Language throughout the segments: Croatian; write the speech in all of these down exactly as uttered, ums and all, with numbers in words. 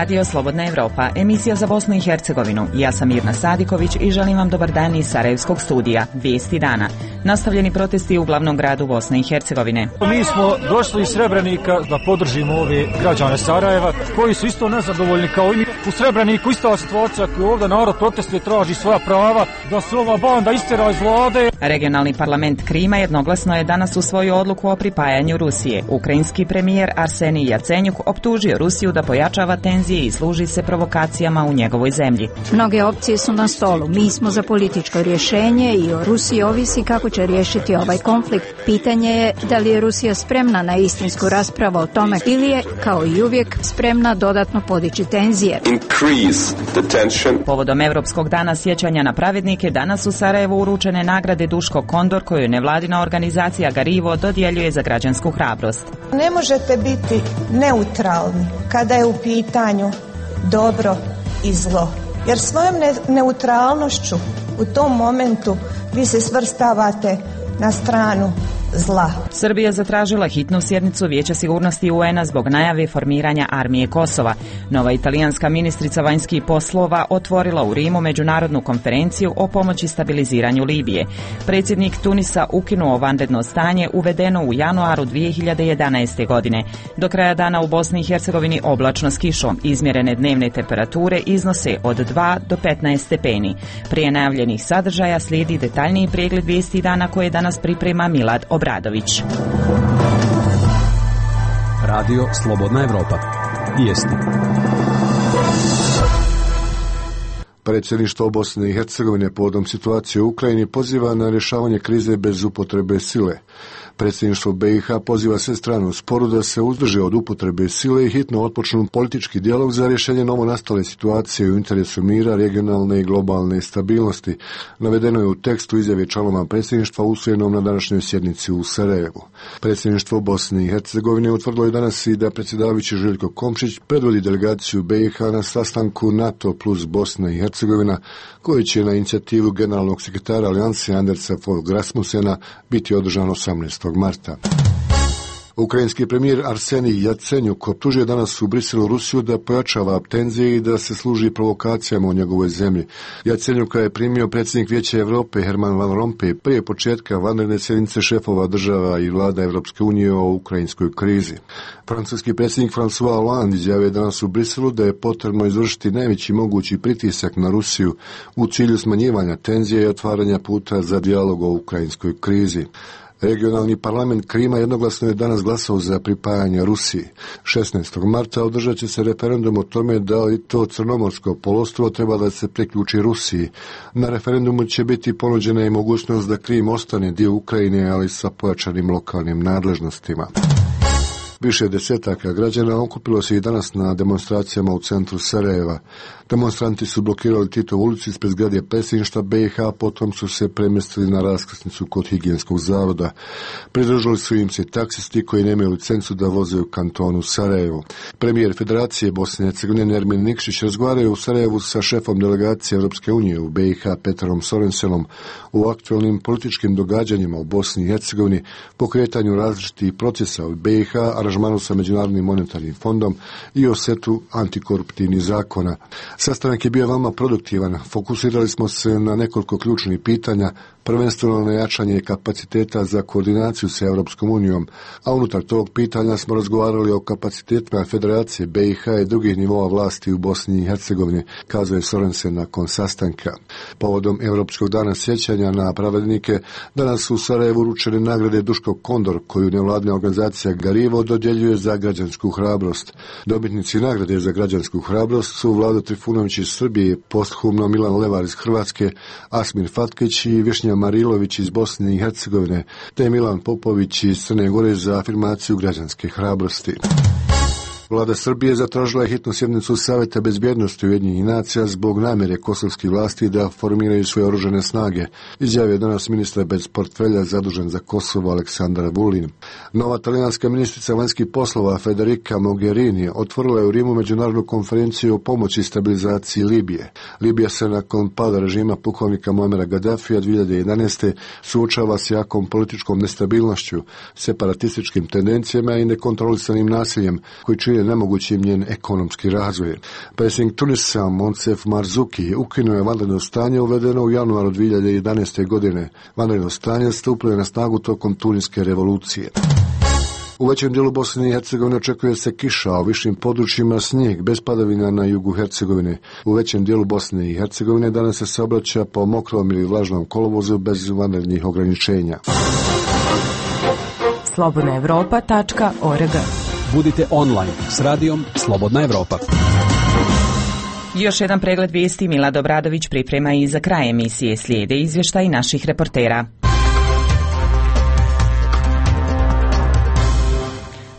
Radio Slobodna Evropa, emisija za Bosnu i Hercegovinu. Ja sam Mirna Sadiković i želim vam dobar dan iz Sarajevskog studija. Vijesti dana. Nastavljeni protesti u glavnom gradu Bosne i Hercegovine. Mi smo došli iz Srebrenika da podržimo ove građane Sarajeva koji su isto nezadovoljni kao i mi. U Srebreniku ista situacija koju ovdje narod protestuje, traži svoja prava, da se ova banda istjera iz vlade. Regionalni parlament Krima jednoglasno je danas usvojio odluku o pripajanju Rusije. Ukrajinski premijer Arsenij Jacenjuk optužio Rusiju da pojačava tenzije i služi se provokacijama u njegovoj zemlji. Mnoge opcije su na stolu. Mi smo za političko rješenje i o Rusiji ovisi kako će riješiti ovaj konflikt. Pitanje je da li je Rusija spremna na istinsku raspravu o tome ili je, kao i uvijek, spremna dodatno podići tenzije. Povodom Europskog dana sjećanja na pravednike, danas u Sarajevu uručene nagrade Duško Kondor, koju nevladina organizacija Garivo dodjeljuje za građansku hrabrost. Ne možete biti neutralni kada je u pitanju dobro i zlo, jer svojom ne- neutralnošću u tom momentu vi se svrstavate na stranu zla. Srbija zatražila hitnu sjednicu Vijeća sigurnosti U N-a zbog najave formiranja armije Kosova. Nova italijanska ministrica vanjskih poslova otvorila u Rimu međunarodnu konferenciju o pomoći stabiliziranju Libije. Predsjednik Tunisa ukinuo vanredno stanje uvedeno u januaru dvije hiljade jedanaeste. godine. Do kraja dana u Bosni i Hercegovini oblačno s kišom. Izmjerene dnevne temperature iznose od dva do petnaest stepeni. Prije najavljenih sadržaja slijedi detaljniji pregled vijesti dana koje danas priprema Milad Obradović. Radio Slobodna Evropa. Vijesti. Predsjedništvo Bosne i Hercegovine povodom situacije u Ukrajini poziva na rješavanje krize bez upotrebe sile. Predsjedništvo B i H poziva sve strane u sporu da se uzdrže od upotrebe sile i hitno otpočnu politički dijalog za rješenje novonastale situacije u interesu mira, regionalne i globalne stabilnosti. Navedeno je u tekstu izjave članova predsjedništva usvojenom na današnjoj sjednici u Sarajevu. Predsjedništvo Bosne i Hercegovine utvrdilo je danas i da predsjedavajući Željko Komšić predvodi delegaciju B i H na sastanku NATO plus Bosna i Hercegovina, koji će na inicijativu generalnog sekretara Alijanse Andersa Fogh Rasmussena biti održan osamnaestog marta. Ukrajinski premijer Arsenij Jacenjuk optužio danas u Briselu Rusiju da pojačava tenzije i da se služi provokacijama u njegovoj zemlji. Jacenjuka je primio predsjednik Vijeća Europe Herman Van Rompuy prije početka vanredne sjednice šefova država i vlada Europske unije o ukrajinskoj krizi. Francuski predsjednik François Hollande izjavio je danas u Briselu da je potrebno izvršiti najveći mogući pritisak na Rusiju u cilju smanjivanja tenzije i otvaranja puta za dijalog o ukrajinskoj krizi. Regionalni parlament Krima jednoglasno je danas glasao za pripajanje Rusiji. šesnaestog marta održat će se referendum o tome da li to Crnomorsko poluostrvo treba da se priključi Rusiji. Na referendumu će biti ponuđena i mogućnost da Krim ostane dio Ukrajine, ali sa pojačanim lokalnim nadležnostima. Više desetaka građana okupilo se i danas na demonstracijama u centru Sarajeva. Demonstranti su blokirali Titovu ulicu ispred zgrade predsjedništva B i H, potom su se premjestili na raskrsnicu kod higijenskog zavoda. Pridružili su im se taksisti koji nemaju licencu da voze u kantonu Sarajevo. Premijer Federacije Bosne i Hercegovine Nermin Nikšić razgovaraju u Sarajevu sa šefom delegacije Europske unije u B i H Petrom Sorensenom u aktualnim političkim događanjima u Bosni i Hercegovini, pokretanju različitih procesa u B i H, aranžmanu sa Međunarodnim monetarnim fondom i o setu antikoruptivnih zakona. Sastanak je bio veoma produktivan. Fokusirali smo se na nekoliko ključnih pitanja, prvenstveno na jačanje kapaciteta za koordinaciju sa Europskom unijom, a unutar tog pitanja smo razgovarali o kapacitetima Federacije B i H i drugih nivoa vlasti u Bosni i Hercegovini, kazao je Sorensen nakon sastanka. Povodom Europskog dana sjećanja na pravednike, danas su u Sarajevu uručene nagrade Duško Kondor, koju nevladina organizacija Garivo dodjeljuje za građansku hrabrost. Dobitnici nagrade za građansku hrabrost su Vlado Trifunović iz Srbije, posthumno Milan Levar iz Hrvatske, Asmir Fatkić i Višnja Marilović iz Bosne i Hercegovine, te Milan Popović iz Crne Gore za afirmaciju građanske hrabrosti. Vlada Srbije zatražila je hitnu sjednicu Savjeta bezbjednosti Ujedinjenih nacija zbog namjere kosovskih vlasti da formiraju svoje oružane snage, izjavio je danas ministar bez portfelja zadužen za Kosovo Aleksandar Vulin. Nova talijanska ministrica vanjskih poslova Federica Mogherini otvorila je u Rimu međunarodnu konferenciju o pomoći i stabilizaciji Libije. Libija se nakon pada režima pukovnika Muamera Gaddafija dvije hiljade jedanaeste. suočava s jakom političkom nestabilnošću, separatističkim tendencijama i nekontrolisanim nasiljem koji čine učinili nemogućim njen ekonomski razvoj. Predsjednik Tunisa Monsef Marzuki ukinuo je vanredno stanje uvedeno u januaru dvije hiljade jedanaeste. godine. Vanredno stanje stupilo je na snagu tokom Tuniske revolucije. U većem dijelu Bosne i Hercegovine očekuje se kiša, a u višim područjima snijeg bez padavina na jugu Hercegovine. U većem dijelu Bosne i Hercegovine danas se saobraća po mokrom ili vlažnom kolovozu bez vanrednih ograničenja. slobodna evropa tačka org. Budite online s radijom Slobodna Evropa. Još jedan pregled vijesti Milad Obradović priprema i za kraj emisije. Slijede izvještaj naših reportera.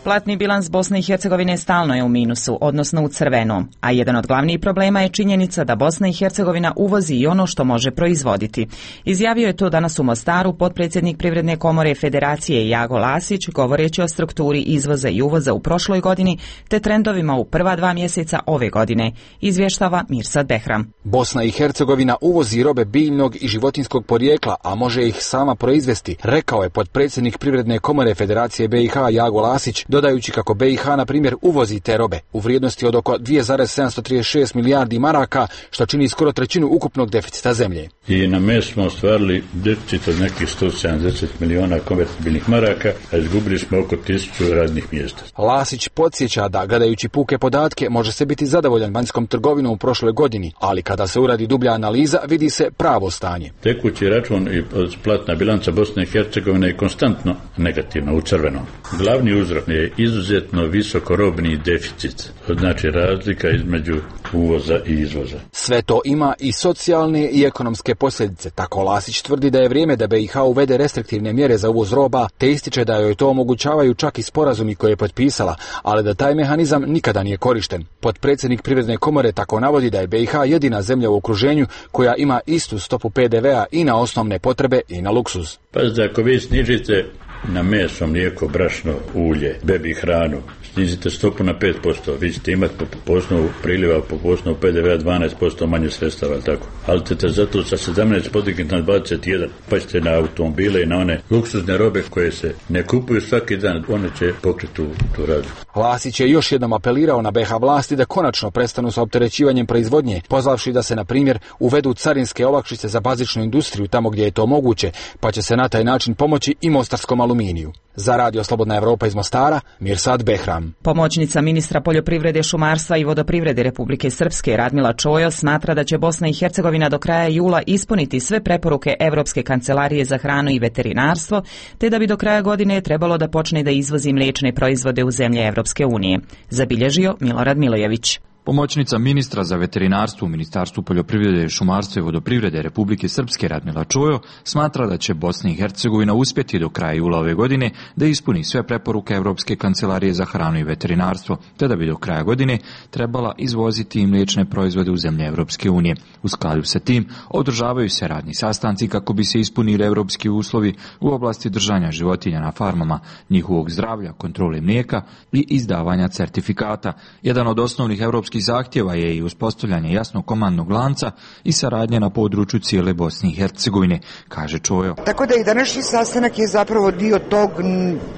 Platni bilans Bosne i Hercegovine stalno je u minusu, odnosno u crvenom, a jedan od glavnih problema je činjenica da Bosna i Hercegovina uvozi i ono što može proizvoditi. Izjavio je to danas u Mostaru potpredsjednik Privredne komore Federacije Jago Lasić, govoreći o strukturi izvoza i uvoza u prošloj godini te trendovima u prva dva mjeseca ove godine, izvještava Mirsad Behram. Bosna i Hercegovina uvozi robe biljnog i životinjskog porijekla, a može ih sama proizvesti, rekao je potpredsjednik Privredne komore Federacije B i H Jago Lasić, dodajući kako B i H, na primjer, uvozi te robe u vrijednosti od oko dvije zarez sedamsto trideset šest milijardi maraka, što čini skoro trećinu ukupnog deficita zemlje. I na mes smo ostvarili deficit od nekih sto sedamdeset miliona konvertibilnih maraka, a izgubili smo oko tisuću radnih mjesta. Lasić podsjeća da, gledajući puke podatke, može se biti zadovoljan vanjskom trgovinom u prošloj godini, ali kada se uradi dublja analiza, vidi se pravo stanje. Tekući račun i platna bilanca Bosne i Hercegovine je konstantno negativno u crvenom. Glavni uzrok je izuzetno visokorobni deficit, znači razlika između uvoza i izvoza. Sve to ima i socijalne i ekonomske posljedice. Tako Lasić tvrdi da je vrijeme da B i H uvede restriktivne mjere za uvoz roba, te ističe da joj to omogućavaju čak i sporazumi koje je potpisala, ali da taj mehanizam nikada nije korišten. Potpredsjednik Privredne komore tako navodi da je B i H jedina zemlja u okruženju koja ima istu stopu P D V-a i na osnovne potrebe i na luksuz. Pazite, ako vi snižite na meso, mlijeko, brašno, ulje, bebi hranu, snizite stopu na pet posto, vi ćete imati po, po osnovu priliva, po osnovu P D V-a dvanaest posto manje sredstava, tako. Ali ćete zato sa sedamnaest podignuti na dvadeset jedan, pa ćete na automobile i na one luksuzne robe koje se ne kupuju svaki dan, one će pokriti tu, tu radu. Lasić je još jednom apelirao na B H vlasti da konačno prestanu sa opterećivanjem proizvodnje, pozvavši da se, na primjer, uvedu carinske olakšice za bazičnu industriju tamo gdje je to moguće, pa će se na taj način pomoći i mostarskom aluminiju. Za Radio Slobodna Evropa iz Mostara, Mirsad Behram. Pomoćnica ministra poljoprivrede, šumarstva i vodoprivrede Republike Srpske Radmila Čojo smatra da će Bosna i Hercegovina do kraja jula ispuniti sve preporuke Evropske kancelarije za hranu i veterinarstvo, te da bi do kraja godine trebalo da počne da izvozi mliječne proizvode u zemlje Evropske unije, zabilježio Milorad Milojević. Pomoćnica ministra za veterinarstvo u Ministarstvu poljoprivrede, šumarstva i vodoprivrede Republike Srpske Radmila Čojo smatra da će Bosna i Hercegovina uspjeti do kraja jula ove godine da ispuni sve preporuke Evropske kancelarije za hranu i veterinarstvo, te da bi do kraja godine trebala izvoziti i mliječne proizvode u zemlje Evropske unije. U skladu sa tim održavaju se radni sastanci kako bi se ispunili evropski uslovi u oblasti držanja životinja na farmama, njihovog zdravlja, kontrole mlijeka i izdavanja certifikata. Jedan od osnovnih evropskih zahtjeva je i uspostavljanje jasnog komandnog lanca i saradnje na području cijele Bosne i Hercegovine, kaže Čojo. Tako da i današnji sastanak je zapravo dio tog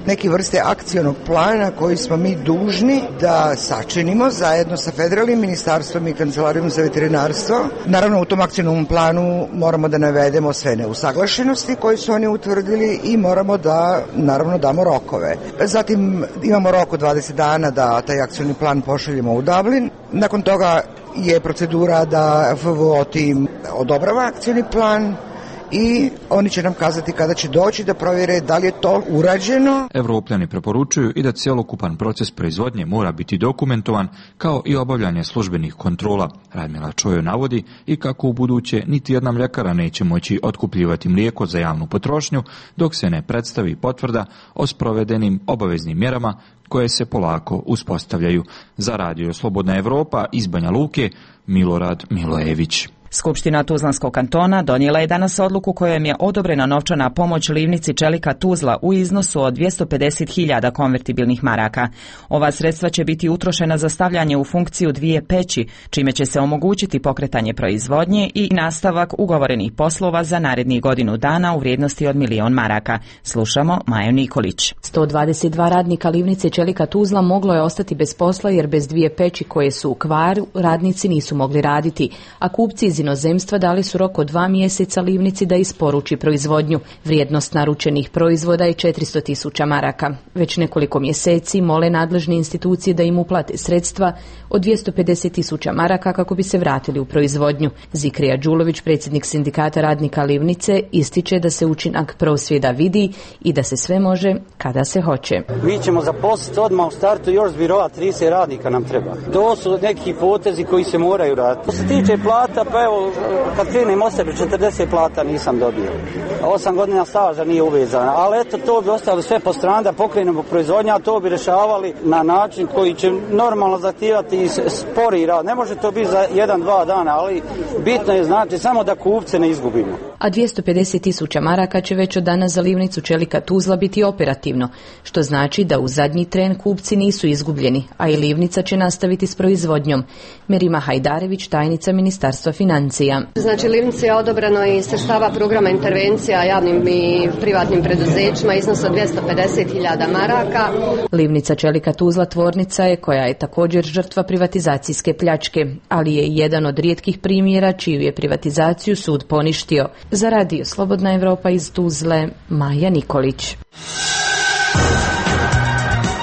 neke vrste akcionog plana koji smo mi dužni da sačinimo zajedno sa federalnim ministarstvom i kancelarijom za veterinarstvo. Naravno, u tom akcionom planu moramo da navedemo sve neusaglašenosti koje su oni utvrdili i moramo da, naravno, damo rokove. Zatim imamo rok od dvadeset dana da taj akcioni plan pošaljemo u Dublin. Nakon toga je procedura da F V O tim odobrava akcioni plan i oni će nam kazati kada će doći da provjere da li je to urađeno. Evropljani preporučuju i da cjelokupan proces proizvodnje mora biti dokumentovan, kao i obavljanje službenih kontrola. Radmila Čojo navodi i kako u buduće niti jedna mljekara neće moći otkupljivati mlijeko za javnu potrošnju dok se ne predstavi potvrda o sprovedenim obaveznim mjerama koje se polako uspostavljaju. Za Radio Slobodna Evropa iz Banja Luke, Milorad Milojević. Skupština Tuzlanskog kantona donijela je danas odluku kojom je odobrena novčana pomoć livnici čelika Tuzla u iznosu od dvjesto pedeset hiljada konvertibilnih maraka. Ova sredstva će biti utrošena za stavljanje u funkciju dvije peći, čime će se omogućiti pokretanje proizvodnje i nastavak ugovorenih poslova za narednih godinu dana u vrijednosti od milion maraka. Slušamo Maju Nikolić. sto dvadeset dva radnika livnice čelika Tuzla moglo je ostati bez posla jer bez dvije peći koje su u kvaru radnici nisu mogli raditi, a kupci iz inozemstva dali su rok od dva mjeseca livnici da isporuči proizvodnju. Vrijednost naručenih proizvoda je četiristo tisuća maraka. Već nekoliko mjeseci mole nadležne institucije da im uplate sredstva od dvjesto pedeset tisuća maraka kako bi se vratili u proizvodnju. Zikrija Đulović, predsjednik sindikata radnika livnice, ističe da se učinak prosvjeda vidi i da se sve može kada se hoće. Mi ćemo zaposliti odmah u startu još s biroa trideset radnika nam treba. To su neki potezi koji se moraju raditi. Što se tiče plata, pa evo, kad krenem o sebi, četrdeset plata nisam dobio. Osam godina staža nije uvezana, ali eto, to bi ostalo sve po strani da pokrenemo proizvodnju, a to bi rešavali na način koji će normalno zahtijevati i spori rad. Ne može to biti za jedan, dva dana, ali bitno je znači samo da kupce ne izgubimo. A dvjesto pedeset tisuća maraka će već od danas za livnicu čelika Tuzla biti operativno, što znači da u zadnji tren kupci nisu izgubljeni, a i livnica će nastaviti s proizvodnjom. Merima Hajdarević, tajnica Ministarstva financija. Znači, livnici je odobreno i sredstava programa intervencija javnim i privatnim preduzećima iznos od dvjesto pedeset hiljada maraka. Livnica čelika Tuzla tvornica je koja je također žrtva privatizacijske pljačke, ali je jedan od rijetkih primjera čiju je privatizaciju sud poništio. Za radio Slobodna Evropa iz Tuzle, Maja Nikolić.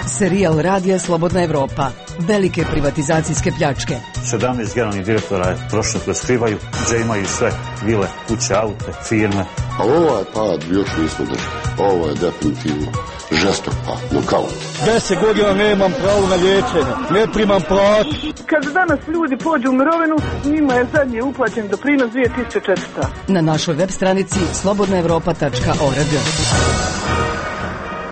Serijal radija Slobodna Evropa. Velike privatizacijske pljačke. sedamnaest generalnih direktora je prošlo koje skrivaju, gdje imaju sve vile, kuće, aute, firme. A ovaj pad još nismo držali. Ovo je definitivno žestok pad, nokaut. Deset godina nemam pravo na liječenje, ne primam platu. Kad danas ljudi pođu u mirovinu, njima je zadnji uplaćen doprinos dvije tisuće četiristo. Na našoj web stranici slobodna evropa tačka org.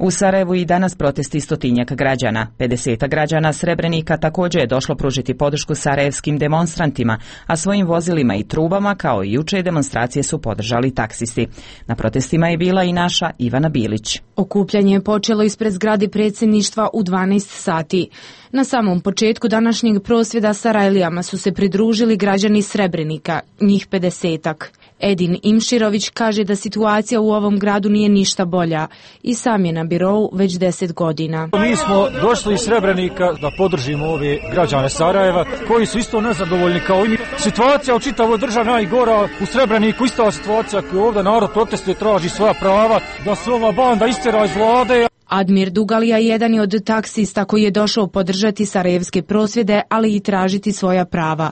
U Sarajevu i danas protesti stotinjak građana. pedeset građana Srebrenika također je došlo pružiti podršku sarajevskim demonstrantima, a svojim vozilima i trubama kao i juče demonstracije su podržali taksisti. Na protestima je bila i naša Ivana Bilić. Okupljanje je počelo ispred zgrade predsjedništva u dvanaest sati. Na samom početku današnjeg prosvjeda Sarajlijama su se pridružili građani Srebrenika, njih pedesetak. Edin Imširović kaže da situacija u ovom gradu nije ništa bolja i sam je na birou već deset godina. Mi smo došli iz Srebrenika da podržimo ove građane Sarajeva koji su isto nezadovoljni kao i mi. Situacija u čitavoj državi najgora, u Srebreniku ista situacija koju ovdje narod protestuje, traži svoja prava, da se ova banda istjera iz vlade. Admir Dugalija jedan je od taksista koji je došao podržati sarajevske prosvjede, ali i tražiti svoja prava.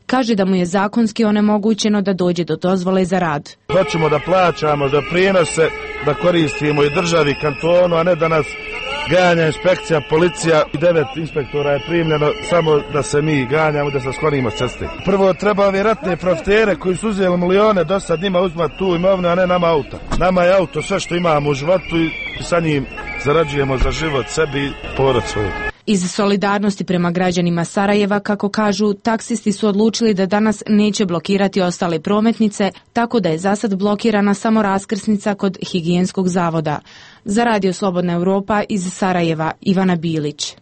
Kaže da mu je zakonski onemogućeno da dođe do dozvole za rad. Hoćemo da plaćamo za prinose, da koristimo i državi kantonu, a ne da nas ganja inspekcija, policija. Devet inspektora je primljeno samo da se mi ganjamo, da se sklonimo s ceste. Prvo treba ove ratne profitere koji su uzeli milione, do sad njima uzmati tu imovinu, a ne nama auta. Nama je auto sve što imamo u životu i sa njim zarađujemo za život sebi i porod svoj. Iz solidarnosti prema građanima Sarajeva, kako kažu, taksisti su odlučili da danas neće blokirati ostale prometnice, tako da je zasad blokirana samo raskrsnica kod higijenskog zavoda. Za radio Slobodna Evropa iz Sarajeva, Ivana Bilić.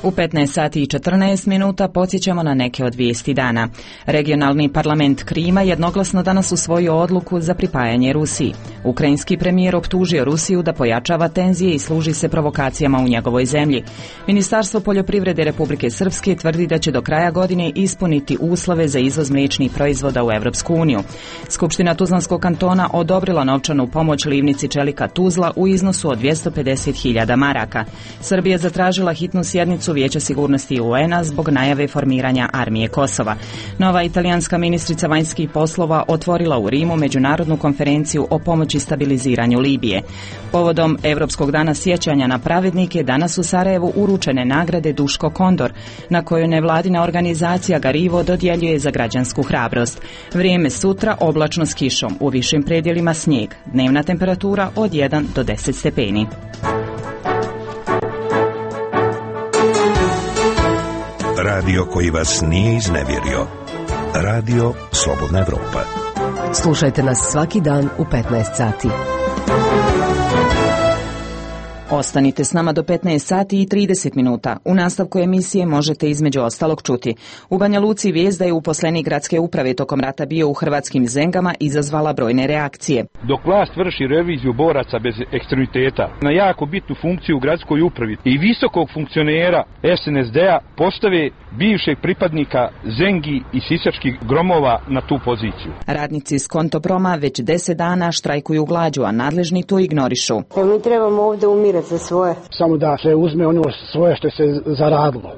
U petnaest sati i četrnaest minuta podsjećamo na neke od vijesti dana. Regionalni parlament Krima jednoglasno danas usvojio odluku za pripajanje Rusiji. Ukrajinski premijer optužio Rusiju da pojačava tenzije i služi se provokacijama u njegovoj zemlji. Ministarstvo poljoprivrede Republike Srpske tvrdi da će do kraja godine ispuniti uslove za izvoz mliječnih proizvoda u Evropsku uniju. Skupština Tuzlanskog kantona odobrila novčanu pomoć livnici čelika Tuzla u iznosu od dvjesto pedeset hiljada maraka. Srbija zatražila hitnu sjednicu Vijeća sigurnosti U N-a zbog najave formiranja armije Kosova. Nova italijanska ministrica vanjskih poslova otvorila u Rimu međunarodnu konferenciju o pomoći stabiliziranju Libije. Povodom Europskog dana sjećanja na pravednike danas u Sarajevu uručene nagrade Duško Kondor, na kojoj nevladina organizacija Garivo dodjeljuje za građansku hrabrost. Vrijeme sutra oblačno s kišom, u višim predjelima snijeg. Dnevna temperatura od jedan do deset stepeni. Radio koji vas nije iznevjerio. Radio Slobodna Evropa. Slušajte nas svaki dan u petnaest sati. Ostanite s nama do petnaest sati i trideset minuta. U nastavku emisije možete između ostalog čuti. U Banja Luci vijest da je uposlenik gradske uprave tokom rata bio u hrvatskim Zengama izazvala brojne reakcije. Dok vlast vrši reviziju boraca bez ekstremiteta na jako bitnu funkciju u gradskoj upravi i visokog funkcionera es en es de-a postave bivšeg pripadnika Zengi i sisačkih gromova na tu poziciju. Radnici iz Kontoproma već deset dana štrajkuju glađu, a nadležni to ignorišu. Mi trebamo ovdje umirati za svoje. Samo da se uzme ono svoje što se zaradilo.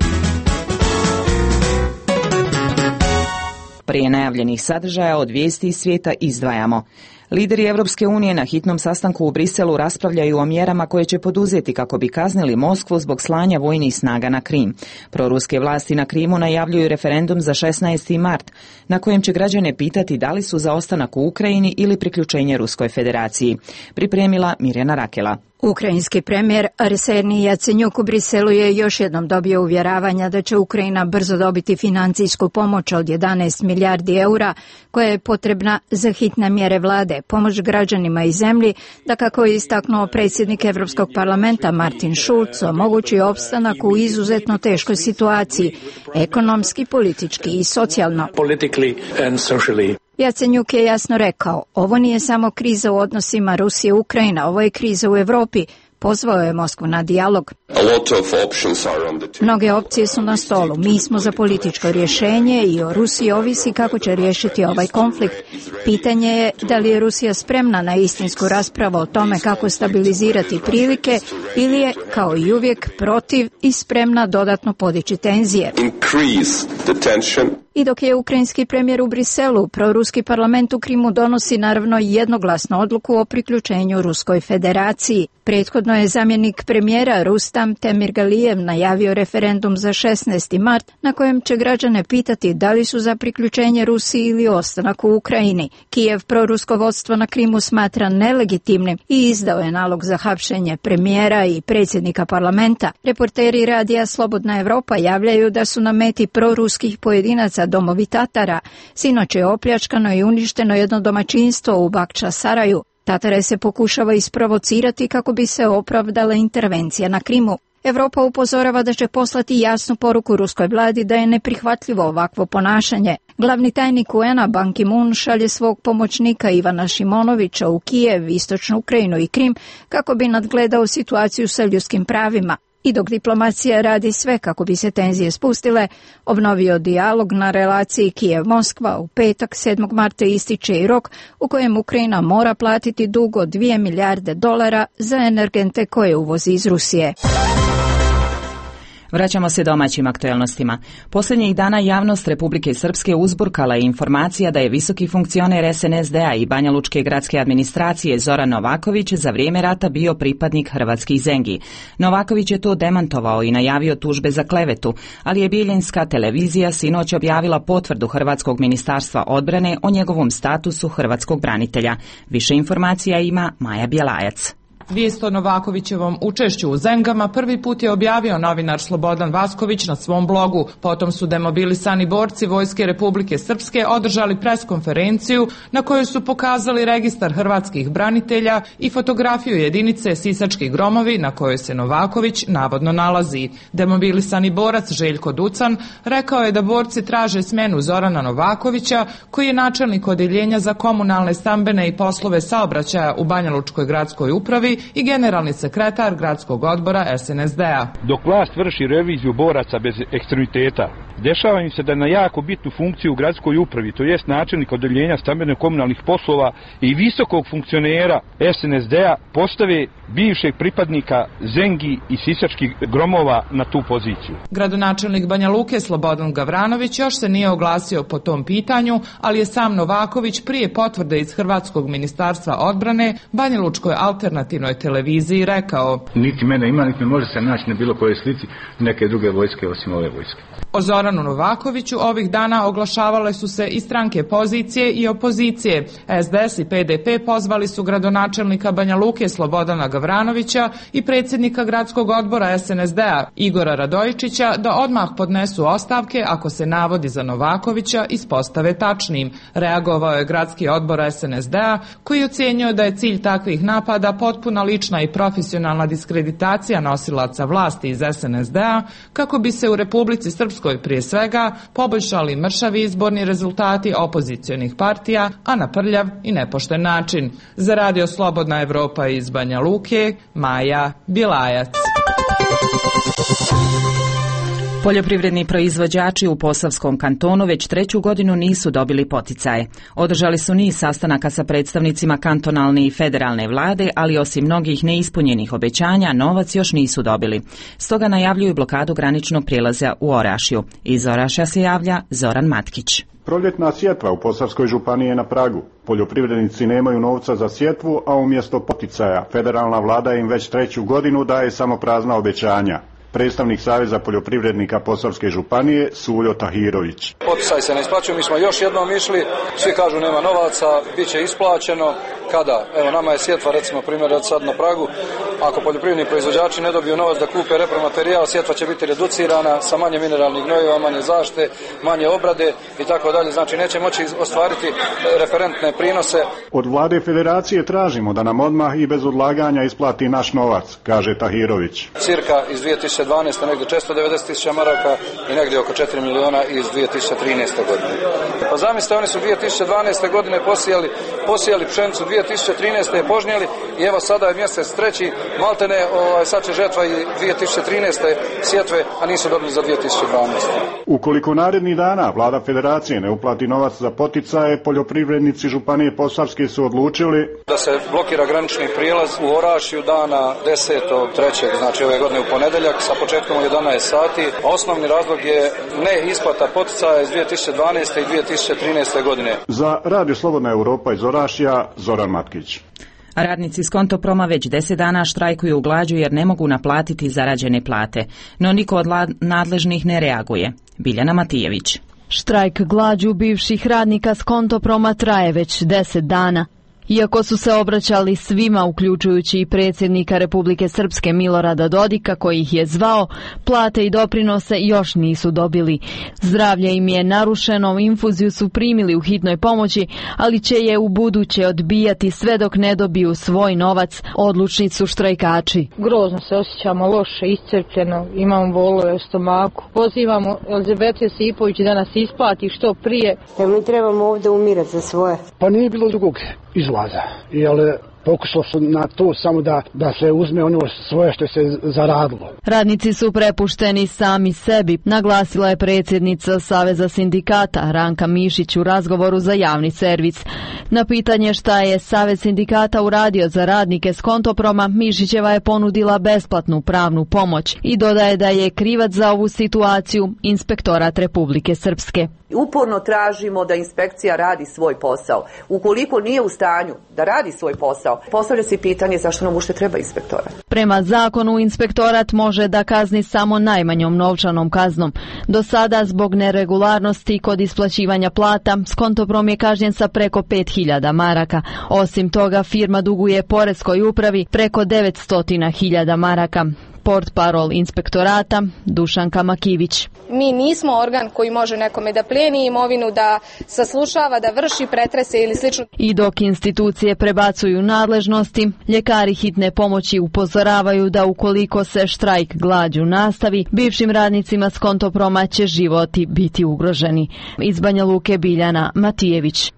Prije najavljenih sadržaja od vijesti iz svijeta izdvajamo. Lideri Europske unije na hitnom sastanku u Briselu raspravljaju o mjerama koje će poduzeti kako bi kaznili Moskvu zbog slanja vojnih snaga na Krim. Proruske vlasti na Krimu najavljuju referendum za šesnaesti mart, na kojem će građane pitati da li su za ostanak u Ukrajini ili priključenje Ruskoj federaciji. Pripremila Mirjana Rakela. Ukrajinski premijer Arsenij Jacenjuk u Briselu je još jednom dobio uvjeravanja da će Ukrajina brzo dobiti financijsku pomoć od jedanaest milijardi eura koja je potrebna za hitne mjere vlade, pomoć građanima i zemlji, da kako je istaknuo predsjednik Europskog parlamenta Martin Schulz omogući opstanak u izuzetno teškoj situaciji, ekonomski, politički i socijalno. Jacenjuk je jasno rekao, ovo nije samo kriza u odnosima Rusije-Ukrajina, ovo je kriza u Europi. Pozvao je Moskvu na dijalog. Mnoge opcije su na stolu. Mi smo za političko rješenje i o Rusiji ovisi kako će riješiti ovaj konflikt. Pitanje je da li je Rusija spremna na istinsku raspravu o tome kako stabilizirati prilike ili je, kao i uvijek, protiv i spremna dodatno podići tenzije. I dok je ukrajinski premijer u Briselu, proruski parlament u Krimu donosi naravno jednoglasnu odluku o priključenju Ruskoj federaciji. Prethodno je zamjenik premijera Rustam Temirgalijev najavio referendum za šesnaesti mart na kojem će građane pitati da li su za priključenje Rusiji ili ostanak u Ukrajini. Kijev prorusko vodstvo na Krimu smatra nelegitimnim i izdao je nalog za hapšenje premijera i predsjednika parlamenta. Reporteri radija Slobodna Evropa javljaju da su na meti proruskih pojedinaca domovi Tatara. Sinoć je opljačkano i uništeno jedno domaćinstvo u Bakča Saraju. Tatare se pokušava isprovocirati kako bi se opravdala intervencija na Krimu. Evropa upozorava da će poslati jasnu poruku ruskoj vladi da je neprihvatljivo ovakvo ponašanje. Glavni tajnik u en a Ban Ki-moon šalje svog pomoćnika Ivana Šimonovića u Kijev, istočnu Ukrajinu i Krim kako bi nadgledao situaciju sa ljudskim pravima. I dok diplomacija radi sve kako bi se tenzije spustile, obnovio dijalog na relaciji Kijev-Moskva, u petak sedmog marta ističe i rok u kojem Ukrajina mora platiti dug od dvije milijarde dolara za energente koje uvozi iz Rusije. Vraćamo se domaćim aktuelnostima. Posljednjih dana javnost Republike Srpske uzburkala je informacija da je visoki funkcioner es en es de-a i Banjalučke gradske administracije Zoran Novaković za vrijeme rata bio pripadnik hrvatskih Zengi. Novaković je to demantovao i najavio tužbe za klevetu, ali je Bijeljinska televizija sinoć objavila potvrdu Hrvatskog ministarstva odbrane o njegovom statusu hrvatskog branitelja. Više informacija ima Maja Bjelajac. Vijest o Novakovićevom učešću u Zengama prvi put je objavio novinar Slobodan Vasković na svom blogu. Potom su demobilisani borci Vojske Republike Srpske održali preskonferenciju na kojoj su pokazali registar hrvatskih branitelja i fotografiju jedinice Sisački gromovi na kojoj se Novaković navodno nalazi. Demobilisani borac Željko Ducan rekao je da borci traže smjenu Zorana Novakovića, koji je načelnik odjeljenja za komunalne, stambene i poslove saobraćaja u Banjalučkoj gradskoj upravi i generalni sekretar gradskog odbora es en es de-a. Dok vlast vrši reviziju boraca bez ekstremiteta, dešava im se da na jako bitnu funkciju u gradskoj upravi, to jest načelnik odjeljenja stambeno-komunalnih poslova i visokog funkcionera es en es de-a, postave bivšeg pripadnika Zengi i sisačkih gromova na tu poziciju. Gradonačelnik Banja Luke Slobodan Gavranović još se nije oglasio po tom pitanju, ali je sam Novaković prije potvrde iz Hrvatskog ministarstva odbrane Banjalučkoj alternativnoj Vojnoj televiziji rekao: Niti mene ima, niti me može se naći na bilo kojoj slici neke druge vojske osim ove vojske. O Zoranu Novakoviću ovih dana oglašavale su se i stranke pozicije i opozicije. S D S i P D P pozvali su gradonačelnika Banja Luke Slobodana Gavranovića i predsjednika gradskog odbora S N S D-a Igora Radojičića da odmah podnesu ostavke ako se navodi za Novakovića ispostave tačnim. Reagovao je gradski odbor S N S D-a koji ocjenjuje da je cilj takvih napada potpuna lična i profesionalna diskreditacija nosilaca vlasti iz S N S D-a kako bi se u Republici Srpskoj prije svega poboljšali mršavi izborni rezultati opozicionih partija, a na prljav i nepošten način. Za Radio Slobodna Evropa iz Banja Luke, Maja Bilajac. Poljoprivredni proizvođači u Posavskom kantonu već treću godinu nisu dobili poticaje. Održali su niz sastanaka sa predstavnicima kantonalne i federalne vlade, ali osim mnogih neispunjenih obećanja, novac još nisu dobili. Stoga najavljuju blokadu graničnog prijelaza u Orašju. Iz Orašja se javlja Zoran Matkić. Proljetna sjetva u Posavskoj županiji je na pragu. Poljoprivrednici nemaju novca za sjetvu, a umjesto poticaja federalna vlada im već treću godinu daje samo prazna obećanja. Predstavnik Saveza poljoprivrednika Posavske županije Suljo Tahirović. Poticaj se ne isplaćuju, mi smo još jednom išli, svi kažu nema novaca, bit će isplaćeno. Kada? Evo nama je sjetva recimo primjer od sad na pragu. Ako poljoprivredni proizvođači ne dobiju novac da kupe repromaterijal, sjetva će biti reducirana sa manje mineralnih gnojiva, manje zaštite, manje obrade i tako dalje. Znači neće moći ostvariti referentne prinose. Od vlade federacije tražimo da nam odmah i bez odlaganja isplati naš novac, kaže Tahirović. Cirka iz dvije tisuće dvanaeste. negdje četiristo devedeset tisuća maraka i negdje oko četiri miliona iz dvije tisuće trinaeste. godine. Pa zamislite, oni su dvije tisuće dvanaeste. godine posijali, posijali pšenicu, dvije tisuće trinaeste. je požnjeli i evo sada je mjesec treći, maltene ovaj, sad će žetva i dvije tisuće trinaeste. sjetve, a nisu dobili za dvije tisuće dvanaeste. Ukoliko narednih dana vlada federacije ne uplati novac za poticaje, poljoprivrednici županije Posavske su odlučili da se blokira granični prijelaz u Orašju dana desetog trećeg znači ove godine u ponedjeljak sa početkom u jedanaest sati. Osnovni razlog je ne isplata poticaja iz dvije tisuće dvanaeste. i dvije tisuće trinaeste. godine. Za Radio Slobodna Europa iz Orašja, Zoran Matkić. Radnici Skontoproma već deset dana štrajkuju u glađu jer ne mogu naplatiti zarađene plate, no niko od nadležnih ne reaguje. Biljana Matijević. Štrajk glađu bivših radnika Skontoproma traje već deset dana. Iako su se obraćali svima, uključujući i predsjednika Republike Srpske Milorada Dodika, koji ih je zvao, plate i doprinose još nisu dobili. Zdravlje im je narušeno, infuziju su primili u hitnoj pomoći, ali će je u buduće odbijati sve dok ne dobiju svoj novac, odlučni su štrajkači. Grozno se osjećamo, loše, iscrpljeno, imamo bolove u stomaku. Pozivamo Elizabete Sipović da nas isplati što prije. Ja mi trebamo ovdje umirati za svoje. Pa nije bilo drugog izlaza, jer pokušalo su na to samo da, da se uzme ono svoje što se zaradilo. Radnici su prepušteni sami sebi, naglasila je predsjednica Saveza sindikata Ranka Mišić u razgovoru za javni servis. Na pitanje šta je Savez sindikata uradio za radnike Skontoproma, Mišićeva je ponudila besplatnu pravnu pomoć i dodaje da je krivac za ovu situaciju Inspektorat Republike Srpske. Uporno tražimo da inspekcija radi svoj posao. Ukoliko nije u stanju da radi svoj posao, postavlja se pitanje zašto nam uopšte treba inspektorat. Prema zakonu inspektorat može da kazni samo najmanjom novčanom kaznom. Do sada zbog neregularnosti kod isplaćivanja plata Skontoprom je kažnjen sa preko pet hiljada maraka. Osim toga firma duguje poreskoj upravi preko devetsto hiljada maraka. Portparol inspektorata Dušanka Makivić. Mi nismo organ koji može nekome da plijeni imovinu, da saslušava, da vrši pretrese ili slično. I dok institucije prebacuju nadležnosti, ljekari hitne pomoći upozoravaju da ukoliko se štrajk glađu nastavi, bivšim radnicima Skontoproma će životi biti ugroženi. Iz Banja Luke, Biljana Matijević.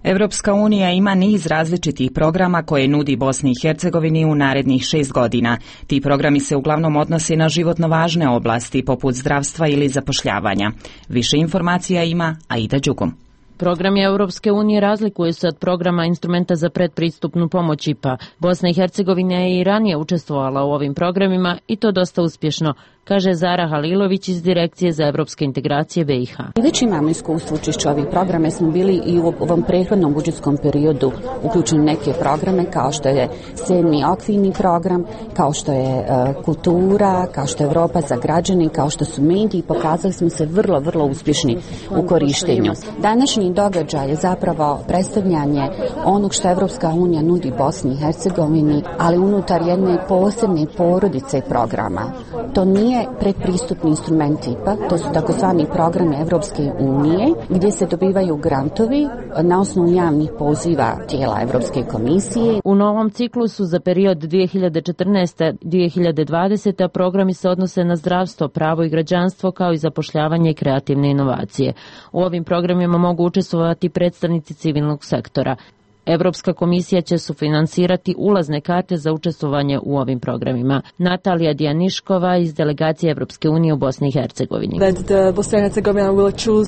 Evropska unija ima niz različitih programa koje nudi Bosni i Hercegovini u narednih šest godina. Ti programi se uglavnom odnose na životno važne oblasti poput zdravstva ili zapošljavanja. Više informacija ima Aida Đugum. Programi Europske unije razlikuje se od programa instrumenta za predpristupnu pomoć I P A. Bosna i Hercegovina je i ranije učestvovala u ovim programima i to dosta uspješno. kaže Zara Halilović iz Direkcije za evropske integracije B i H. Već imamo iskustvo učešća ovih programa, smo bili i u ovom prethodnom budžetskom periodu uključeni neke programe kao što je sedmi okvirni program, kao što je uh, kultura, kao što je Evropa za građane, kao što su mediji, pokazali smo se vrlo, vrlo uspješni u korištenju. Današnji događaj je zapravo predstavljanje onog što Evropska unija nudi Bosni i Hercegovini, ali unutar jedne posebne porodice programa. To nije predpristupni instrument tipa, to su takozvani programi Evropske unije gdje se dobivaju grantovi na osnovu javnih poziva tijela Evropske komisije. U novom ciklusu za period dvije hiljade četrnaeste do dvije hiljade dvadesete programi se odnose na zdravstvo, pravo i građanstvo kao i zapošljavanje i kreativne inovacije. U ovim programima mogu učestvovati predstavnici civilnog sektora. Evropska komisija će sufinansirati ulazne karte za učestvovanje u ovim programima. Natalija Dijaniškova iz delegacije Evropske unije u Bosni i Hercegovini.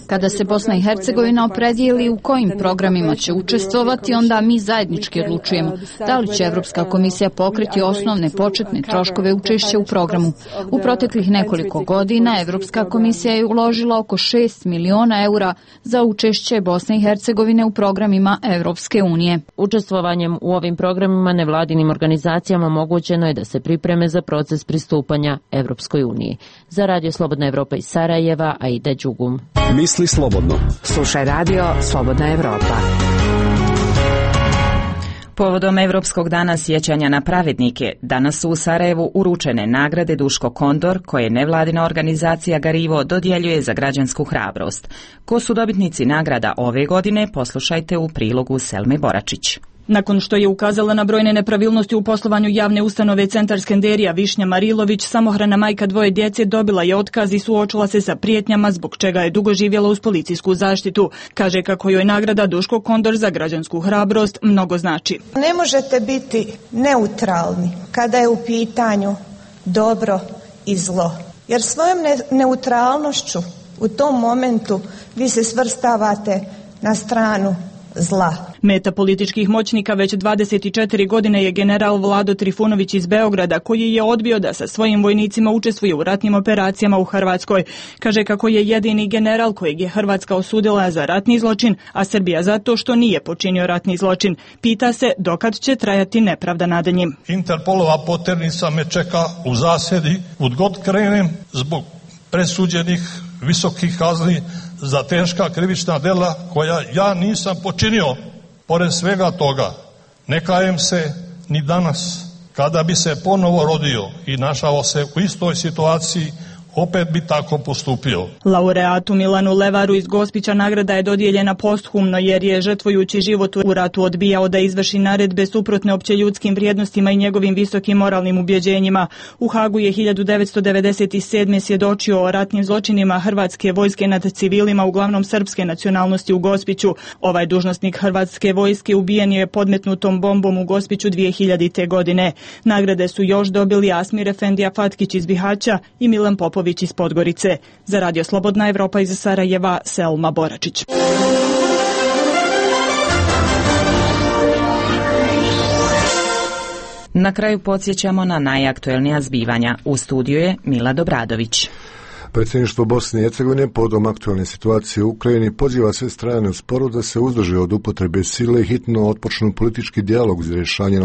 Kada se Bosna i Hercegovina opredijeli u kojim programima će učestvovati, onda mi zajednički odlučujemo da li će Evropska komisija pokriti osnovne početne troškove učešća u programu. U proteklih nekoliko godina Evropska komisija je uložila oko šest miliona eura za učešće Bosne i Hercegovine u programima Evropske unije. Učestvovanjem u ovim programima nevladinim organizacijama omogućeno je da se pripreme za proces pristupanja Evropskoj uniji. Za Radio Slobodna Evropa iz Sarajeva, Aida Đugum. Misli slobodno. Slušaj Radio Slobodna Evropa. Povodom Evropskog dana sjećanja na pravednike, danas su u Sarajevu uručene nagrade Duško Kondor, koje nevladina organizacija Garivo dodjeljuje za građansku hrabrost. Ko su dobitnici nagrada ove godine, poslušajte u prilogu Selme Boračić. Nakon što je ukazala na brojne nepravilnosti u poslovanju javne ustanove Centar Skenderija, Višnja Marilović, samohrana majka dvoje djece, dobila je otkaz i suočila se sa prijetnjama, zbog čega je dugo živjela uz policijsku zaštitu. Kaže kako joj nagrada Duško Kondor za građansku hrabrost mnogo znači. Ne možete biti neutralni kada je u pitanju dobro i zlo, jer svojom ne- neutralnošću u tom momentu vi se svrstavate na stranu zla. Meta političkih moćnika već dvadeset četiri godine je general Vlado Trifunović iz Beograda, koji je odbio da sa svojim vojnicima učestvuje u ratnim operacijama u Hrvatskoj. Kaže kako je jedini general kojeg je Hrvatska osudila za ratni zločin, a Srbija zato što nije počinio ratni zločin. Pita se dokad će trajati nepravda nad njim. Interpolova poternica me čeka u zasjedi, kud god krenem zbog presuđenih visokih kazni za teška krivična dela koja ja nisam počinio. Pored svega toga, ne kajem se ni danas. Kada bi se ponovo rodio i našao se u istoj situaciji, opet bi tako postupio. Laureatu Milanu Levaru iz Gospića nagrada je dodijeljena posthumno jer je žrtvujući život u ratu odbijao da izvrši naredbe suprotne opće ljudskim vrijednostima i njegovim visokim moralnim ubjeđenjima. U Hagu je hiljadu devetsto devedeset sedme svjedočio o ratnim zločinima hrvatske vojske nad civilima, uglavnom srpske nacionalnosti u Gospiću. Ovaj dužnosnik hrvatske vojske ubijen je podmetnutom bombom u Gospiću dvije hiljadite. godine. Nagrade su još dobili Asmir Efendija Fatkić iz Bihaća i Milan Popović iz Podgorice. Za Radio Slobodna Evropa iz Sarajeva, Selma Boračić. Na kraju podsjećamo na najaktuelnija zbivanja. U studiju je Mila Dobradović. Predsjedništvo Bosne i Hercegovine povodom aktualne situacije u Ukrajini poziva sve strane u sporu da se uzdrže od upotrebe sile i hitno otpočnu politički dijalog za rješenje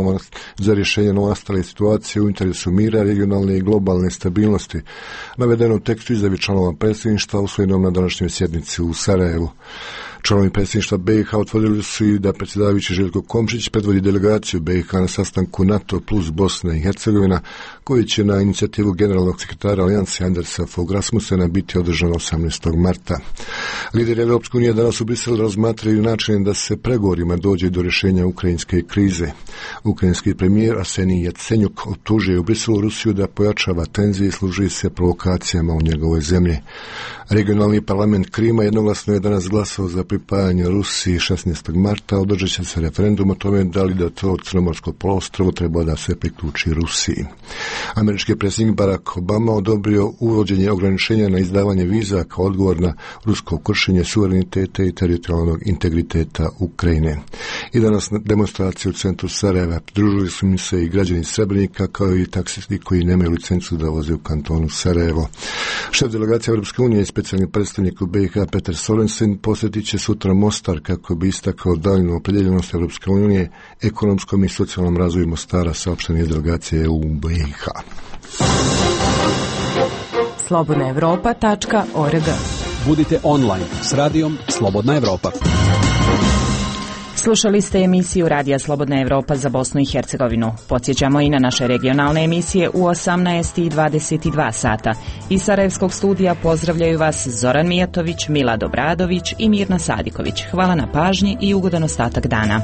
za rješenje novonastale situacije u interesu mira, regionalne i globalne stabilnosti. Navedeno u tekstu izjave članova predsjedništva usvojenom na današnjoj sjednici u Sarajevu. Članovi predsjedništva B i H utvrdili su i da predsjedavajući Željko Komšić predvodi delegaciju B i H na sastanku NATO plus Bosna i Hercegovina, koji će na inicijativu generalnog sekretara Alijanse Andersa Fogh Rasmussena biti održan osamnaestog marta. Lideri Europske unije danas u Briselu razmatraju načine da se pregovorima dođe do rješenja ukrajinske krize. Ukrajinski premijer Arsenij Jacenjuk optužuje u Briselu Rusiju da pojačava tenzije i služi se provokacijama u njegovoj zemlji. Regionalni parlament Krima jednoglasno je danas glasao za pripajanja Rusiji šesnaestog marta održat će se referendum o tome da li da to crnomorsko poluostrvo treba da se priključi Rusiji. Američki predsjednik Barack Obama odobrio uvođenje ograničenja na izdavanje viza kao odgovor na rusko kršenje suvereniteta i teritorijalnog integriteta Ukrajine. I danas na demonstraciji u centru Sarajeva pridružili su mi se i građani Srebrenika kao i taksisti koji nemaju licencu da voze u kantonu Sarajevo. Šef delegacije Europske unije i specijalni predstavnik u B i H Petar Sorensen posjetit će sutra Mostar kako bi istakao daljnju opredjeljenost Europske unije ekonomskom i socijalnom razvoju Mostara, saopštene delegacije u B i H. slobodna evropa tačka org. Budite online s radijom Slobodna Evropa. Slušali ste emisiju Radija Slobodna Evropa za Bosnu i Hercegovinu. Podsjećamo i na naše regionalne emisije u osamnaest i dvadeset dva sata. Iz Sarajevskog studija pozdravljaju vas Zoran Mijatović, Milad Obradović i Mirna Sadiković. Hvala na pažnji i ugodan ostatak dana.